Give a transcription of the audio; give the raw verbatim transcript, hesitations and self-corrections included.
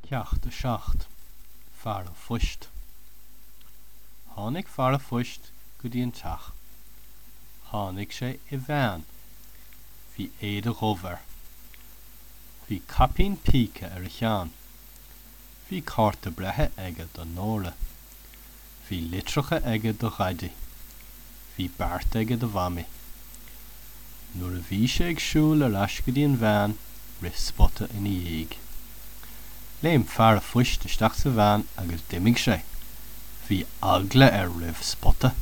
Ceacht a seacht, Fear an Phoist. Tháinig fear an phoist go dtí an teach. Tháinig sé i veain. Bhí éide dhubh air. Bhí caipín píce ar a cheann. Bhí cárta breithe aige do Nóra. Bhí litreacha aige do Dhaidí. Bhí beart aige do Mhamaí. Nuair a bhí sé ag siúl ar ais go dtí an veain, rith Spota ina dhiaidh. Léim fear an phoist isteach sa veain agus d'imigh sé. Bhí eagla air roimh Spota.